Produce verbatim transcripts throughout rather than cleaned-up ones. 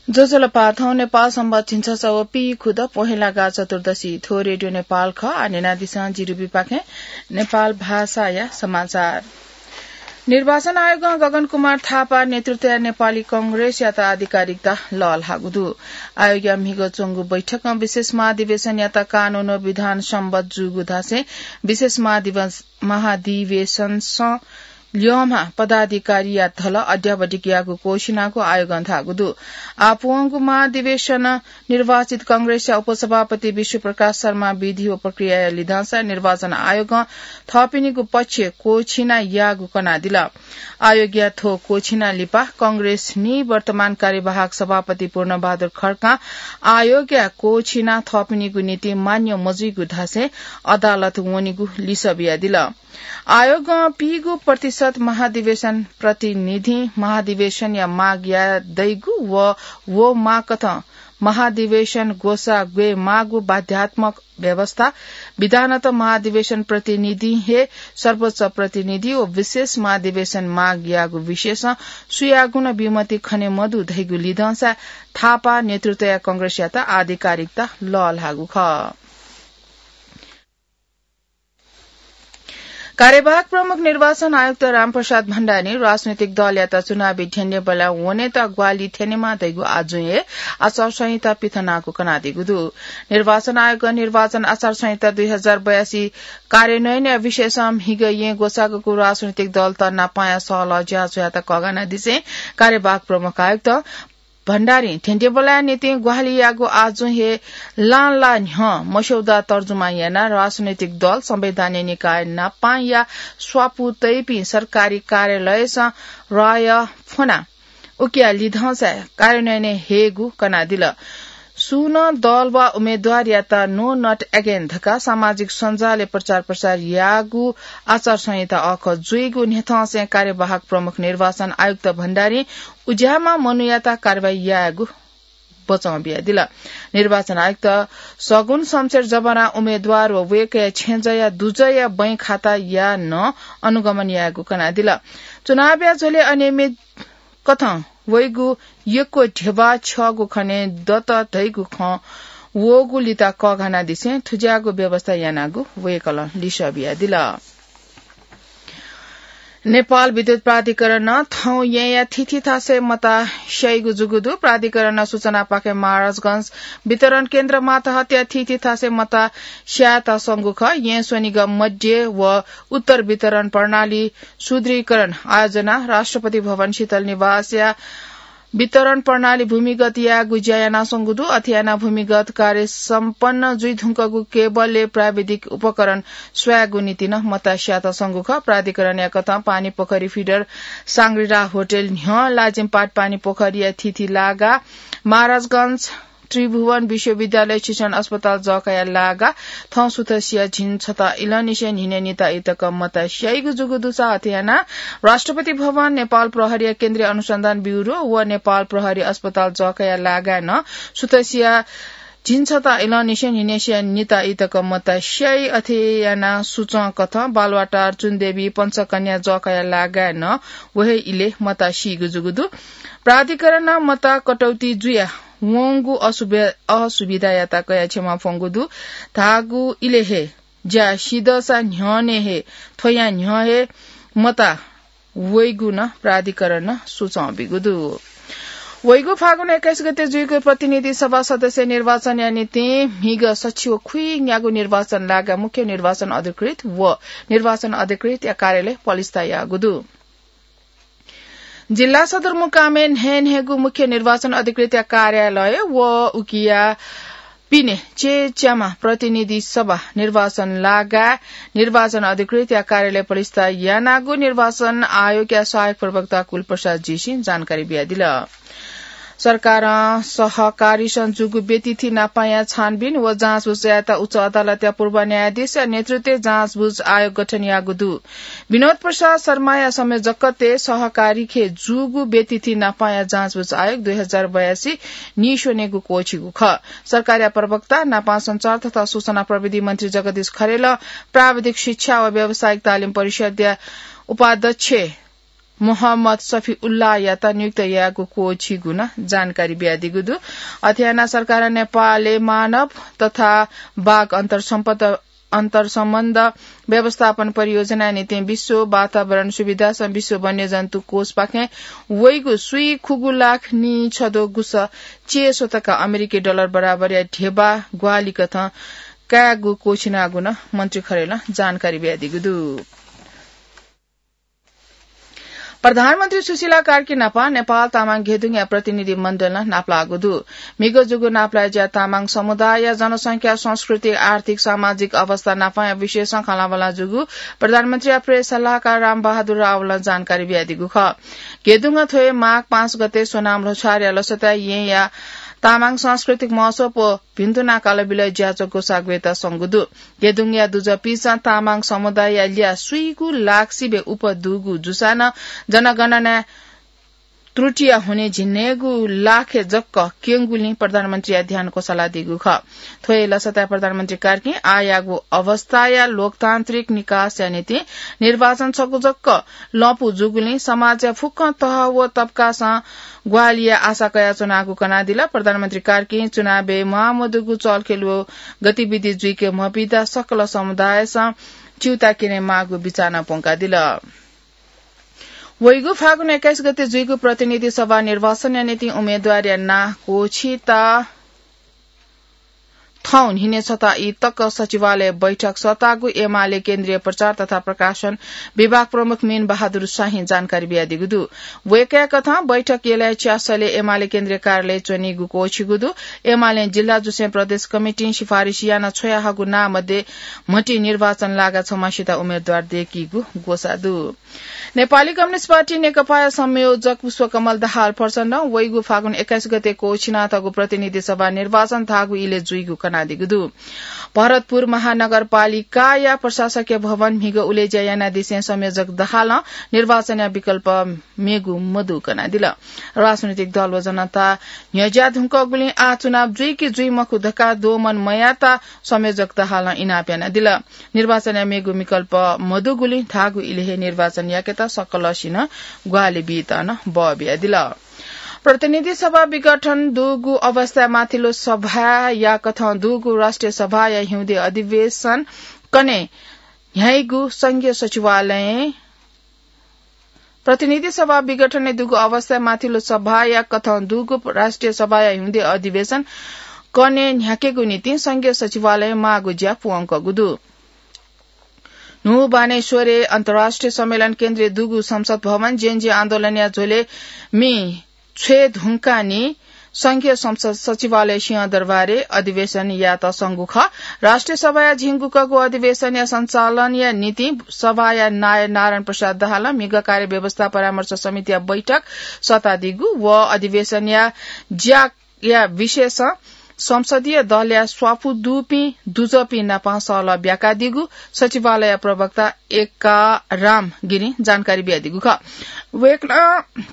ज्वजलपा, थौं नेपाल संवत झिंछसः व पीखुदँ पहेँलागा चतुर्दशी। थ्व रेडियो नेपाल खः। आः न्यनादिसँ जिरुबिपाखें नेपाल भाषाया समाचार। निर्वाचन आयोगं गगन कुमार थापा नेतृत्वया नेपाली कांग्रेसयात आधिकारिकता लःल्हाःगु दु। आयोगया म्हिगः च्वंगु बैठकं विशेष महाधिवेशनयात कानून व विधान सम्बत जूगु धासें विशेष महाधिवेश-, महाधिवेशनसं ल्यःम्ह पदाधिकारीया धल अद्यावधिक याःगु क्वःछिनागु आयोगं धाःगु दु। आः पुवंगु महाधिवेशन निर्वाचित कांग्रेसया उपसभापति विश्वप्रकाश शर्मा विधि व प्रक्रियाया लिधंसा निर्वाचन आयोगं थःपिनिगु पक्ष क्वःछिना याःगु कनादिल। आयोगया थ्व क्वःछिना लिपा कांग्रेस निवर्तमान कार्यवाहक सभापति पूर्णबहादुर खड्कां आयोगया क्वःछिना थःपिनिगु निंतिं मान्य मजुइगु धासें अदालत वनेगु लिसः बियादिल। आयोगं पीगू प्रतिशत महाधिवेशन प्रतिनिधि महाधिवेशनया माग याये दइगु व व माग कथं महाधिवेशन ग्वसाः ग्वये माःगु बाध्यात्मक व्यवस्था, विधानत महाधिवेशन प्रतिनिधि हे सर्वोच्च प्रतिनिधि व विशेष महाधिवेशन माग याःगु विषयसं सुयागुं नं विमति खने मदु धइगु लिधंसा थापा नेतृत्वया कांग्रेसयात आधिकारिकता लःल्हाःगु खः। कार्यवाहक प्रमुख निर्वाचन आयुक्त रामप्रसाद भण्डारीं राजनैतिक दलयात चुनावी ध्यंनेबलय् वनेत ग्वाहालि थ्यनेमाः धइगु आजुं हे आचार संहिता पिथनाःगु कनादीगु दु। निर्वाचन आयोगं निर्वाचन आचार संहिता दुई हजार बयासी कार्यान्वयनया विषयसं म्हिगः येँ ग्वसाःगु राजनैतिक दलत नापांया सहलह ज्याझ्वःयात कःघानादिसें कार्यवाहक प्रमुख आयुक्त भण्डारीं थ्यंथेंबलय् निंतिं ग्वाहालि याःगु आजुं हे लांला न्ह्यः मस्यौदा तर्जुमा यानाः राजनैतिक दल, संवैधानिक निकाय नापांया स्वापू तइपिं सरकारी कार्यालयसं राय फ्वनाः उकिया लिधंसा कार्यान्वयनय् हयेगु कनादिल। सुं नं दल वा उम्मेद्वारयात No Not Again धकाः सामाजिक सञ्जालय् प्रचार प्रसार याःगु आचार संहिता अःखः जुइगु न्ह्यथंसें कार्यवाहक प्रमुख निर्वाचन आयुक्त भण्डारीं उज्याःम्ह मनूयात कारवाही यायेगु बचं बियादिल। निर्वाचन आयुक्त सगुन शमशेर जबरां उम्मेद्वार व वय्कःया छेँजःया दुजःया बैंक खाताया नं अनुगमन यायेगु कनादिल। चुनावया झ्वलय् अनियमित कथं वइगु यक्व ध्यबा छ्यःगु खनेदत धइगु खँ वःगु लिता कःघानादिसें थुज्याःगु व्यवस्था यानागु वय्कलं लिसः बियादिल। नेपाल विद्युत प्राधिकरणं थौं येँया थीथी थासय् मता स्याइगु जूगु दु। प्राधिकरणं सूचनापाखें महाराजगंज वितरण केन्द्र मातहतया थीथी थासय् मता स्यायेत स्वंगु खः। येँ स्वनिगः मध्य व उत्तर वितरण प्रणाली सुदृढीकरण आयोजना राष्ट्रपति भवन शीतल निवासया वितरण प्रणाली भूमिगत यायेगु ज्या यानाच्वंगु दु। अथे यानाः भूमिगत कार्य सम्पन्न जुइधुंकूगु केबलय् प्राविधिक उपकरण स्वयेगु निंतिं नं मता स्यायेत स्वंगु खः। प्राधिकरणया कथं पानीपोखरी फिडर, सांग्रिला होटल न्ह्यः लाजिमपाट पानीपोखरीया थीथी लागाः महाराजगंज त्रिभुवन विश्वविद्यालय शिक्षण अस्पताल जःखाया लागाः थौं सुथसिया झिंछता इलंनिसें न्हिनय् निता ई तक मता स्याइगु जूगु दुसा अथे यानाः राष्ट्रपति भवन, नेपाल प्रहरीया केन्द्रीय अनुसन्धान ब्युरो व नेपाल प्रहरी अस्पताल जःखाया लागाय् नं सुथसिया झिंछता इलंनिसें न्हिनय्सिया निता ई तक मता स्याइ। अथे यानाः सुचं कथं बालुवाटार, चुनदेवी, पञ्चकन्या जःखाया लागाय् नं व हे इलय् मता सीगु जूगु दु। प्राधिकरणं मता कटौती जुयाः वंगु असुबि-, असुविधायात कयाः क्षमा फ्वंगु दु। धाःगु इलय् हे ज्या सिधःसा न्ह्यःने हे थ्वया न्ह्यः हे मता वइगु नं प्राधिकरणं सुचं बीगु दु। वइगु फागुन एक्काइस गते जुइगु प्रतिनिधि सभा सदस्य निर्वाचनया निंतिं म्हिगः सछि व खुइन्यागू निर्वाचन लागाय् मुख्य निर्वाचन अधिकृत व निर्वाचन अधिकृतया कार्यालय पलिस्था याःगु दु। जिल्ला सदरमुकामय् न्हय्न्हय्गू मुख्य निर्वाचन अधिकृतया कार्यालय व उकिया पिने च्यय्च्याम्ह प्रतिनिधि सभा निर्वाचन लागाय् निर्वाचन अधिकृतया कार्यालय पलिस्था यानागु निर्वाचन आयोगया सहायक प्रवक्ता कुलप्रसाद जीसिं जानकारी बियादिल। सरकारं सहकारीसं जूगु व्यतिथि नापांया छानबिन व जाँचबुझ यायेत उच्च अदालतया पूर्व न्यायाधीशया नेतृत्वय् जाँचबुझ आयोग गठन याःगु दु। विनोद प्रसाद शर्माया संयोजकत्वय् सहकारीखे जूगु व्यतिथि नापांया जाँचबुझ आयोग दुई हजार बयासी नीस्वनेगु क्वःछिगु खः। सरकारया प्रवक्ता, नापं सञ्चार तथा सूचना प्रविधि मन्त्री जगदीश खरेलं प्राविधिक शिक्षा व व्यावसायिक तालिम परिषद्या उपाध्यक्ष मोहम्मद सफिउल्लाहयात नियुक्त यायेगु क्वःछिगु नं जानकारी बियादीगु दु। अथे यानाः सरकारं नेपालय् मानव तथा बाघ अन्तर्सम्पद अन्तर्सम्बन्ध व्यवस्थापन परियोजनाया निंतिं विश्व वातावरण सुविधासं विश्व वन्यजन्तु कोषपाखें वइगु स्वीखुगू लाख नीछदँ गुसः चय्‌स्वतका अमेरिकी डलर बराबरया ध्यबा ग्वाहालि कथं कायेगु क्वःछिनागु नं मन्त्री खरेलं जानकारी बियादीगु दु। प्रधानमन्त्री सुशीला कार्की नाप नेपाल तामाङ घेदुङया प्रतिनिधि मण्डलं नापलाःगु दु। म्हिगः जूगु नापलाये ज्या तामाङ समुदायया जनसंख्या, संस्कृति, आर्थिक, सामाजिक अवस्था नापया विषयसं खँल्हाबल्हा जूगु प्रधानमन्त्रीया प्रेस सल्लाहकार रामबहादुर रावलं जानकारी बियादीगु खः। घेदुङं थ्व हे माघ पाँच गते सोनाम ल्होछारया लसताय् येँया तामाङ सांस्कृतिक महोत्सव व भिन्तुना कालबिलय् ज्याझ्वः ग्वसाः ग्वयेत संगु दु। घेदुङया दुजःपिन्सं तामाङ समुदायया ल्याः स्वीगू लाख सिबें उप दुगु जूसां नं जनगणनाय् त्रुटिया हुनिं झिंन्हय्‌गू लाखय् जक क्यंगुलिं प्रधानमन्त्रीया ध्यान क्वसालादीगु खः। थ्व हे लसताय् प्रधानमन्त्री कार्कीं आःयागु अवस्थाया लोकतान्त्रिक निकासया निंतिं निर्वाचन छगू जक लँपु जूगुलिं समाजया फुक्कं तह व तबकासं ग्वाहालिया आशा कयाच्वनागु कनादिल। प्रधानमन्त्री कार्कीं चुनावय् म्वाःमदुगु चलखेल व गतिविधि जुइके मबिदा सकल समुदायसं च्यूता क्यनेमाःगु बिचाः नं प्वंकादिल। वइगु फागुन एक्काइस गते जुइगु प्रतिनिधि सभा निर्वाचनया निंतिं उम्मेदवारया नां क्वःछिता थौं न्हिनय् छता ई तक सचिवालय बैठक सःतागु एमाले केन्द्रीय प्रचार तथा प्रकाशन विभाग प्रमुख मीन बहादुर शाहीं जानकारी बियादीगु दु। वय्‌कःया कथं बैठक यलय् च्यासलय् एमाले केन्द्रीय कार्यालय च्वनीगु क्वःछिगु दु। एमालें जिल्ला जुसें प्रदेश कमिटिं सिफारिस याना छ्वयाहःगु नां मध्ये म्हतिं निर्वाचन लागा छम्हसित उम्मेदवार दय्‌कीगु ग्वसाः दु। नेपाली कम्युनिस्ट पार्टी नेकपाया संयोजक पुष्पकमल दाहाल प्रचण्डं वइगु फागुन एक्काइस गते क्वःछिनातःगु प्रतिनिधि सभा निर्वाचन धाःगु इलय् जुइगु कनादीगु दु। भरतपुर महानगरपालिकाया प्रशासकीय भवन म्हिगः उलेज्या यानादिसें संयोजक दाहालं निर्वाचनया विकल्प मेगु मदु कनादिल। राजनैतिक दल व जनता न्ह्यज्या धुंकूगुलिं आः चुनाव जुइ कि जुइ मखु धकाः दोमन मयात संयोजक दाहालं इनाप यानादिल। निर्वाचनया मेगु विकल्प मदुगुलिं धाःगु इलय् हे निर्वाचन याकेत सकलसिनं ग्वाहालि बीत नं बः बियादिल। प्रतिनिधि सभा विघटन दुगु अवस्थाय् माथिल्लो सभाया कथं दुगु राष्ट्रिय सभाया हिउँदे अधिवेशन कन्हय् न्ह्याइगु संघीय सचिवालयं प्रतिनिधि सभा विघटनय् दुगु अवस्थाय् माथिल्लो सभाया कथं दुगु राष्ट्रिय सभाया हिउँदे अधिवेशन कन्हय् न्ह्याकेगु निंतिं संघीय सचिवालयं माःगु ज्या पूवंकूगु दु। न्हू बानेश्वरय् अन्तर्राष्ट्रिय सम्मेलन केन्द्रय् दुगु संसद भवन जेएनजी आन्दोलनया झ्वलय् मि छ्वये धुंकाः नि संघीय संसद सचिवालय सिंहदरबारय् अधिवेशन यायेत संगु खः। राष्ट्रिय सभाया झिंगुकःगु अधिवेशनया सञ्चालनया निंतिं सभाया नायः नारायण प्रसाद दाहालं म्हिगः कार्य व्यवस्था परामर्श समितिया बैठक सःतादीगु व अधिवेशनया ज्याया विषयसं संसदीय दलया स्वापू दुपिं दुजःपिं नाप सहलह ब्याकादीगु सचिवालय प्रवक्ता एकाराम गिरिं जानकारी बियादीगु खः। वय्‌कलं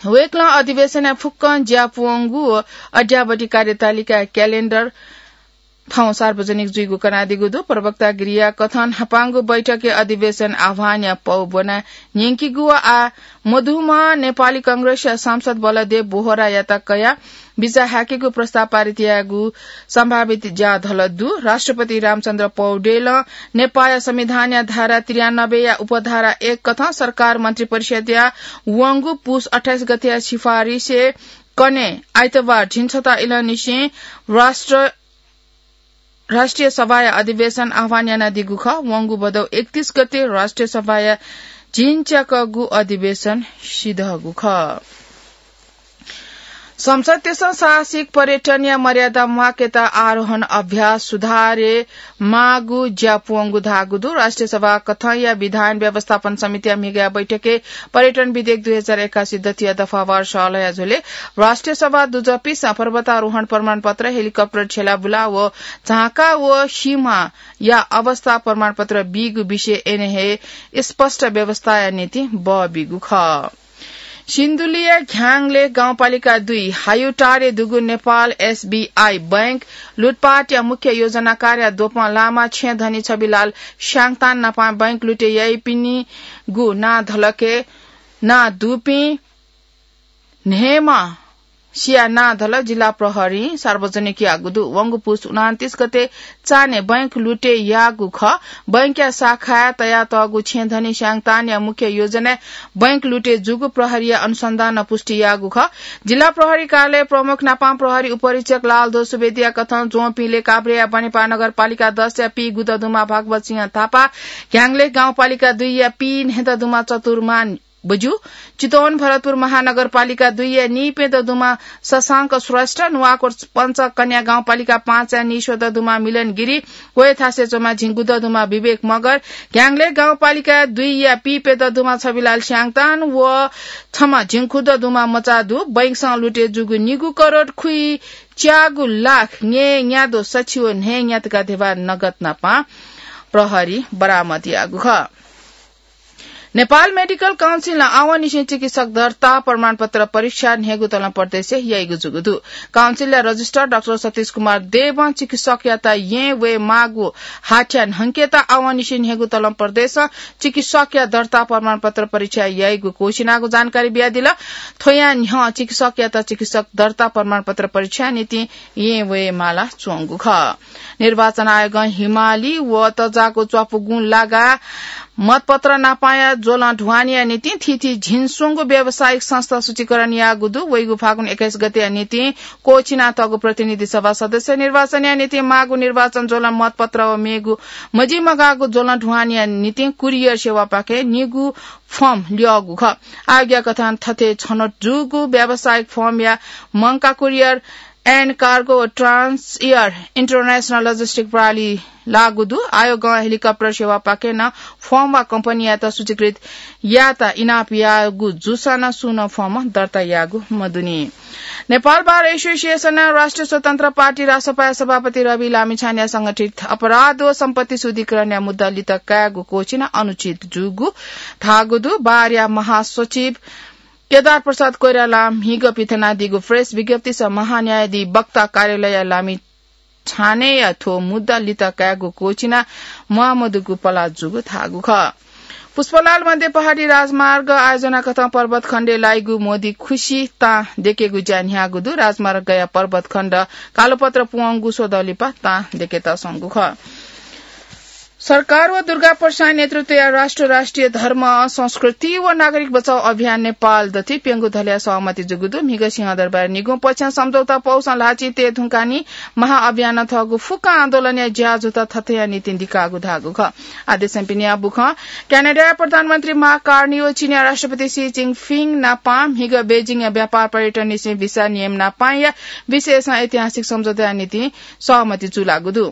वय्‌कलं अधिवेशनया फुक्कं ज्या पूवंगु व अद्यावधि कार्यतालिका क्यालेण्डर थौं सार्वजनिक जुइगु कनादीगु दु। प्रवक्ता गिरिया कथं न्हापांगु बैठकय् अधिवेशन आह्वानया पौ ब्वना न्यंकीगु व आः मदुम्ह नेपाली कांग्रेसया सांसद बलदेव बोहरायात कयाः बिचाः हाकेगु प्रस्ताव पारित यायेगु सम्भावित ज्या धलः दु। राष्ट्रपति रामचन्द्र पौडेलं नेपाःया संविधानया धारा त्रियानब्बेया उपधारा एक कथं सरकार मन्त्रिपरिषदया वंगु पुस अट्ठाइस गतेया सिफारिसय् कन्हय् आइतबार झिंछता इलंनिसें राष्ट्र, राष्ट्रिय सभाया अधिवेशन आह्वान यानादीगु खः। वंगु भदौ एकतीस गते राष्ट्रिय सभाया झिंच्याकःगु अधिवेशन सिधःगु खः। संसदतय्‌सं साहसिक पर्यटनया मर्यादा म्वाकेत आरोहण अभ्यास सुधारय् माःगु ज्या पूवंगु धाःगु दु। राष्ट्रिय सभा कथंया विधान व्यवस्थापन समितिया म्हिगःया बैठकय् पर्यटन विधेयक दुई हजार एकासी दथिया दफावार सहलहया झ्वलय् राष्ट्रिय सभा दुजःपिन्सं पर्वतारोहण प्रमाणपत्र, हेलिकप्टर छ्यलाबुला व झाँका व सिंहया अवस्था प्रमाणपत्र बीगु विषय अन हे स्पष्ट व्यवस्थाया निंतिं बः बीगु खः। सिन्धुलीया घ्याङले गाउँपालिका दुई हायुटारे दुगु नेपाल एसबीआई बैंक लुटपाटया मुख्य योजनाकारया द्वपं लामा छेँ धनी छविलाल स्याङतान नापं बैंक लुटे याइपिनिगु नां धलके नां दुपिं न्हय्म्ह सिया नां धल जिल्ला प्रहरीं सार्वजनिक याःगु दु। वंगु पुस उनान्तिस गते चान्हय् बैंक लुटे याःगु खः। बैंकया शाखाय् तयातःगु छेँधनी स्याङतानया मुख्य योजनाय् बैंक लुटे जूगु प्रहरीया अनुसन्धानं पुष्टि याःगु खः। जिल्ला प्रहरी कार्यालय प्रमुख नापां प्रहरी उपरीक्षक लालध्वज सुवेदीया कथं ज्वंपिंले काभ्रेया बनेपा नगरपालिका दसया पी गुददुमा भागवत सिंह थापा, घ्याङ्ग्लेख गाउँपालिका दुईया पी न्हय्ददुमा चतुर्मान बज्यू, चितवन भरतपुर महानगरपालिका दुईया नीप्यददुमा शशांक श्रेष्ठ, नुवाकोट पञ्चकन्या गाउँपालिका पाँचया नीस्वददुमा मिलन गिरी, वय् थासय् च्वंम्ह झिंगुददुमा विवेक मगर, घ्याङ्ग्लेख गाउँपालिका दुईया पीप्यददुमा छविलाल स्याङतान व छम्ह झिंखुददुमा मचादु बैंकसं लुटे जूगु निगू करोड खुइच्यागू लाख न्यय् न्यादँ सछि व न्हय् न्यातका धेबा नगद नापं प्रहरीं बरामद याःगु खः। नेपाल मेडिकल काउन्सिलं आवंनिसें चिकित्सक दर्ता प्रमाणपत्र परीक्षा न्हय्गू तलं प्रदेशय् याइगु जूगु दु। काउन्सिलया रजिस्ट्रार डाक्टर सतीश कुमार देवं चिकित्सकयात येँ वये माःगु हाथ्या न्हंकेत आवंनिसें न्हय्गू तलं प्रदेशं चिकित्सकया दर्ता प्रमाणपत्र परीक्षा याइगु घोषणागु जानकारी बियादिल। थ्वया न्ह्यः चिकित्सकयात चिकित्सक दर्ता प्रमाणपत्र परीक्षा निंतिं येँ वये माला च्वंगु खः। निर्वाचन आयोगं हिमाली व तजाको च्वापुगुं लागा मतपत्र नापांया ज्वलं ढुवानीया निंतिं थीथी झिंस्वंगू व्यावसायिक संस्था सूचीकरण याःगु दु। वइगु फागुन एक्काइस गतेया निंतिं क्वःछिनातःगु प्रतिनिधि सभा सदस्य निर्वाचनया निंतिं माःगु निर्वाचन ज्वलं मतपत्र व मेगु मजिमगाःगु ज्वलं ढुवानीया निंतिं कुरियर सेवापाखें निगू फर्म ल्यःगु खः। आयोगया कथं थथे छनौट जूगु व्यावसायिक फर्मया मंका कुरियर and Cargo व Trans Air International Logistic प्रणाली लाःगु दु। आयोगं हेलिकप्टर सेवापाखें नं फर्म वा कम्पनीयात सूचीकृत यायेत इनाप याःगु जूसां नं सुं नं फर्म दर्ता याःगु मदुनि। नेपाल बार एसोसिएसनं राष्ट्रिय स्वतन्त्र पार्टी रासपाया सभापति रवि लामिछानेया संगठित अपराध व सम्पत्ति शुद्धिकरणया मुद्दा लित कायेगु घोषणा अनुचित जूगु धाःगु दु। बारया महासचिव केदार प्रसाद कोइरालां म्हिगः पिथनादीगु प्रेस विज्ञप्तिस महान्यायाधिवक्ता कार्यालयया लामिछानेया थ्व मुद्दा लित कायेगु घोषणा म्वाःमदुगु पला जूगु धाःगु खः। पुष्पलाल मध्य पहाडी राजमार्ग आयोजना कथं पर्वत खण्डय् लाइगु मोदी खुसी तां देकेगु ज्या न्ह्याःगु दु। राजमार्गया पर्वत खण्ड कालोपत्र पुवंगु स्वदँ लिपा तां देकेत संगु खः। सरकार व दुर्गा प्रसाईं नेतृत्वया राष्ट्र राष्ट्रिय धर्म, संस्कृति व नागरिक बचाउ अभियान नेपाल दथुइ प्यंगू धलया सहमति जूगु दु। म्हिगः सिंहदरबार निगू पक्षं सम्झौता पौसं ल्हाःचिं तये धुंकाः नि महाअभियानं थःगु फुक्क आन्दोलनया ज्याझ्वःत थथेया निंतिं दिकाःगु धाःगु खः। आदेशं पिनिया बुखं क्यानाडाया प्रधानमन्त्री मार्क कार्नी व चीनया राष्ट्रपति सी जिनपिङ नापां म्हिगः बेजिङया व्यापार पर्यटननिसें भिसा नियम नापांया विषयसं ऐतिहासिक सम्झौताया निंतिं सहमति जुलाःगु दु।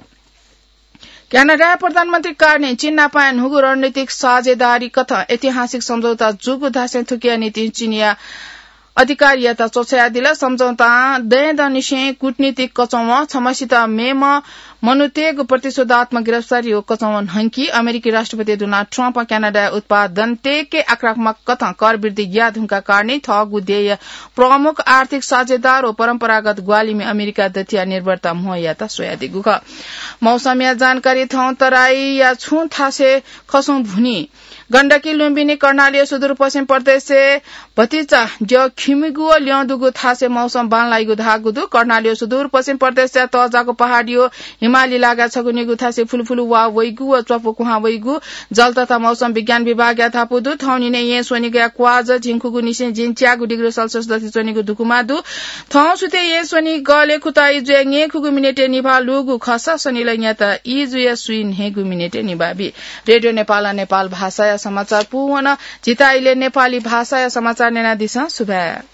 क्यानाडाया प्रधानमन्त्री कार्नीं चीन नापांया न्हूगु रणनीतिक साझेदारी कथं ऐतिहासिक सम्झौता जूगु धासें थुकिया निंतिं चीनया अधिकारीयात च्वछायादिल। सम्झौतां दँय्दँनिसें कूटनीतिक कचंवं, छम्हसित मेम्ह मनूतय्गु प्रतिशोधात्मक गिरफ्तारी व कचंवं न्हंकी। अमेरिकी राष्ट्रपति डोनाल्ड ट्रम्पं क्यानाडाया उत्पादनतय्के आक्रामक कथं कर वृद्धि याये धुंकाः कार्नीं थःगु देय्या प्रमुख आर्थिक साझेदार व परम्परागत ग्वाहालिमि अमेरिका दथुया निर्भरता म्हो यायेत स्वयादीगु खः। मौसमया जानकारी। थौं तराईया छुं थासय् खसुं भुनी। गण्डकी, लुम्बिनी, कर्णाली व सुदूरपश्चिम प्रदेशय् भतिचा द्यः खिमिगु व ल्यं दुगु थासय् मौसम बांलाइगु धाःगु दु। कर्णाली व सुदूरपश्चिम प्रदेशया तःजाःगु पहाडी व हिमाली लागाय् छगू निगू थासय् फुलुफुलु वा वइगु व च्वापु कुहां वइगु जल तथा मौसम विज्ञान विभागया धापू दु। थौंनिनय् येँ स्वनिगःया क्वाःझः झिंखुगुनिसें जिंच्याःगु डिग्री सेल्सियस दथुइ च्वनीगु धुकुमा दु। थौं सुथय् येँ स्वनिगलय् खुता इजुया न्यय्खुगु मिनेटय् निभाः लूगु खःसा स्वनिलंयात इजुया स्वीन्हय्गु मिनेटय् निभाः बी। रेडियो नेपालं नेपाल भाषाया समाचार पूवन। झीत इलय् नेपाली भाषाया समाचार न्यनादिसँ। सुभाय्।